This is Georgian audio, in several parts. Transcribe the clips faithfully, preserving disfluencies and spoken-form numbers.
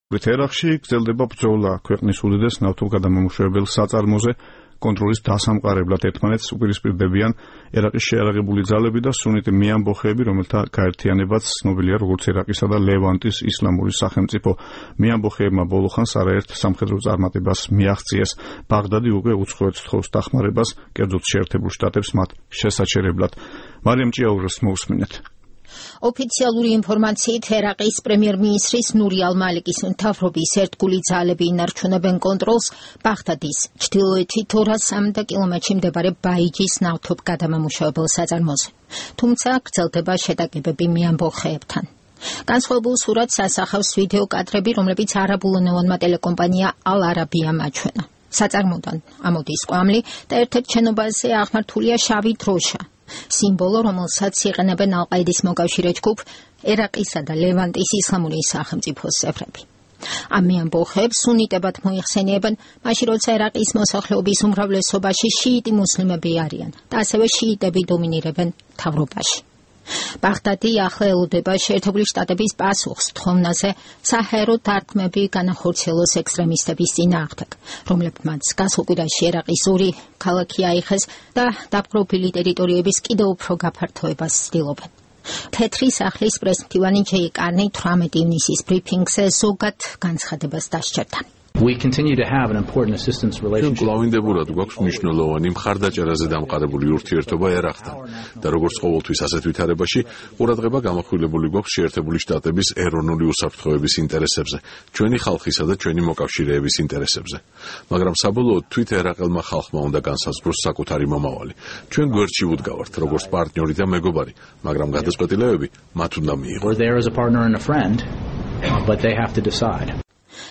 ერაყში გრძელდება ბრძოლა ქვეყნის უდიდეს ნავთობგადამამუშავებელ საწარმოზე კონტროლის დასამყარებლად ერთმანეთს უპირისპირდებიან ერაყის შეიარაღებული ძალები და სუნიტი მეამბოხეები, რომელთა გაერთიანებაც ცნობილია როგორც ერაყისა და ლევანტის ისლამური სახელმწიფო. მეამბოხეებმა ბოლო ხანს არაერთ სამხედრო წარმატებას მიაღწიეს. ბაღდადი უკვე უცხოეთს თხოვს დახმარებას, კერძოდ შეერთებულ შტატებს მათ შესაჩერებლად. მარიამ ჭიაურას მოусმინეთ. ოფიციალური ინფორმაციით ერაყის პრემიერ-მინისტრის ნური ალ-მალიკის მთავრობის ერთგული ძალები ინარჩუნებენ კონტროლს ბაღდადის ჩრდილოეთით ორას სამი კილომეტრში მდებარე ბაიჯის ნავთობგადამამუშავებელ საწარმოზე. თუმცა გრძელდება შეტაკებები მეამბოხეებთან. განსხვავებულ სურათს ასახავს ვიდეო კადრები, რომლებიც არაბულენოვანმა ტელეკომპანია ალ-არაბიამ აჩვენა. საწარმოდან ამოდის კვამლი და ერთ-ერთ შენობაზე აღმართულია შავი დროშა. სიმბოლო, რომელსაც იყენებენ ალ-ყაიდის მოკავშირე ჯგუფ ერაყისა და ლევანტის ისლამური სახელმწიფოს წევრები. ამ მეამბოხეებს სუნიტებად მოიხსენიებენ, მაშინ როცა ერაყის მოსახლეობის უმრავლესობაში შიიტი მუსლიმები არიან და ასევე შიიტები დომინირებენ მთავრობაში. ბაღდადი ახლა ელოდება შეერთებული შტატების პასუხს თხოვნაზე საჰაერო დარტყმები განახორციელოს ექსტრემისტების წინააღმდეგ, რომლებმაც გასულ კვირაში ერაყის ორი ქალაქი აიხეს და დაპყრობილი ტერიტორიების კიდევ უფრო გაფართოებას ცდილობენ. თეთრი სახლის პრესმფრთივანი ჯეი კარნი თვრამეტი ივნისის ბრიფინგზე ზოგად განცხადებას დასჭერდა. We continue to have an important assistance relationship. კლავინდებურად გვაქვს მნიშვნელოვანი მხარდაჭერაზე დამყარებული ურთიერთობა ერაყთან და როგორც ყოველთვის ასეთ ვითარებაში ყურადღება გამახვილებული გვაქვს შეერთებული შტატების ეროვნული უსაფრთხოების ინტერესებზე, ჩვენი ხალხისა და ჩვენი მოკავშირეების ინტერესებზე. მაგრამ საბოლოოდ თვით ერაყელმა ხალხმა უნდა განსაზღვროს საკუთარი მომავალი. ჩვენ გვერდში ვუდგავართ როგორც პარტნიორი და მეგობარი, მაგრამ გადაწყვეტილებები მათ უნდა მიიღონ. We're there as a partner and a friend, but they have to decide.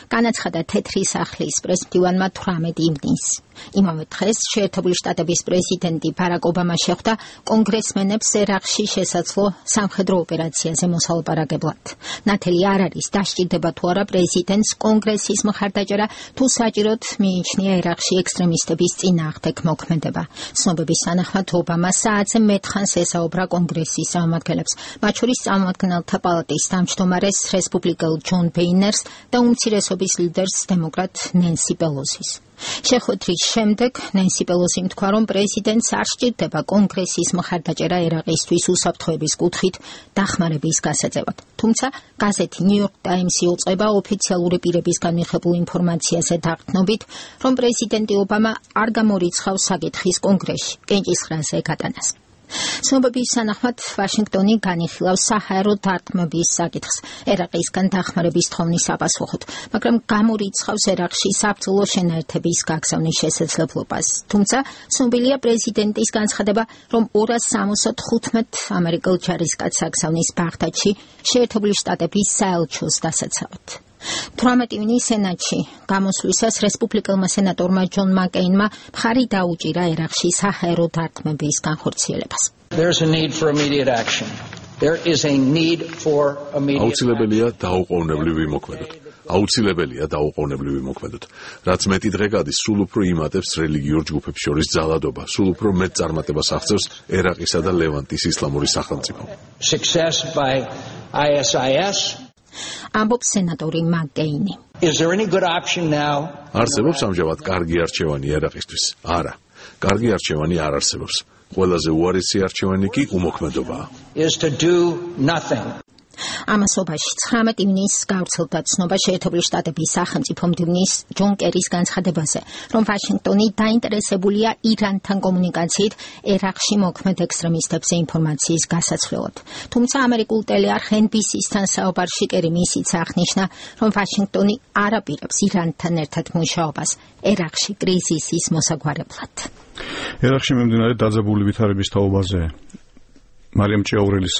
განაცხადა თეთრი სახლის პრესმფრთივანმა თვრამეტი ივნისს. იმავე დღეს შეერთებული შტატების პრეზიდენტი ბარაკ ობამა შეხვდა კონგრესმენებს ერაყში შესაძლო სამხედრო ოპერაციაზე მოსალაპარაკებლად. ნათელი არ არის დასჭირდება თუ არა პრეზიდენტს კონგრესის მხარდაჭერა, თუ საჭიროდ მიიჩნია ერაყში ექსტრემისტების წინააღმდეგ მოქმედება. ცნობების თანახმად ობამა საათზე მეტხანს ესაუბრა კონგრესის წარმომადგენლებს, მათ შორის წარმომადგენელთა პალატის თავმჯდომარეს რესპუბლიკელ ჯონ ბეინერს და უმცირესობის ლიდერს დემოკრატ ნენსი პელოსის. შეხვედრის შემდეგ ნენსი პელოსიმ თქვა, რომ პრეზიდენტს არ სჭირდება კონგრესის მხარდაჭერა ერაყისთვის უსაფრთხოების კუთხით დახმარების გასაწევად. თუმცა გაზეთი ნიუ-იორკ ტაიმსი უწყება ოფიციალური პირებისგან მიღებულ ინფორმაციაზე დაღთნობით, რომ პრეზიდენტი ობამა არ გამორიცხავს საკითხის კონგრესში კენჭისყრაზე გატანას. ცნობების თანახმად ვაშინგტონი განიხილავს საჰაერო დარტყმების საკითხს ერაყისგან დახმარების თხოვნის საპასუხოდ, მაგრამ გამორიცხავს ერაყში საბრძოლო შენაერთების გაგზავნის შესაძლებლობას. თუმცა ცნობილია პრეზიდენტის განცხადება, რომ ორას სამოცდათხუთმეტ ამერიკელ ჯარისკაცს აგზავნის ბაღდადში შეერთებული შტატების საელჩოს დასაცავად. თვრამეტი ივნის სენატში გამოსვლისას რესპუბლიკელმა სენატორმა ჯონ მაკეინმა მხარი დაუჭირა ერაყში საჰაერო დარტყმების განხორციელებას. There's a need for immediate action. There is a need for immediate action. აუცილებელია დაუყოვნებლივი მოქმედოთ. აუცილებელია დაუყოვნებლივი მოქმედოთ. რაც მეტი დღე გადის, სულ უფრო იმატებს რელიგიურ ჯგუფებს შორის ძალადობა, სულ უფრო მეტ წარმატებას აღწევს ერაყისა და ლევანტის ისლამური სახელმწიფო. Success by I S I S ამბობს სენატორი მაკეინი. Is there any good option now? არსებობს ამჟამად კარგი არჩევანი ერაყისთვის? არა. კარგი არჩევანი არ არსებობს. ყველაზე უარესი არჩევანი კი უმოქმედობაა. Is to do nothing. ამასობაში ცხრამეტი ივნისს გავრცელდა ცნობა შეერთებული შტატების სახელმწიფო მდივნის ჯონ კერის განცხადებაზე, რომ ვაშინგტონი დაინტერესებულია ირანთან კომუნიკაციით ერაყში მოქმედ ექსტრემისტებზე ინფორმაციის გასაცვლელად. თუმცა ამერიკულ ტელეარხ ენ ბი სი-სთან საუბარში კერი მისიც აღნიშნა, რომ ვაშინგტონი არ აპირებს ირანთან ერთად მუშაობას ერაყში კრიზისის მოსაგვარებლად. ერაყში მიმდინარე დაძაბული ვითარების თაობაზე მარიამ ჭიაურელის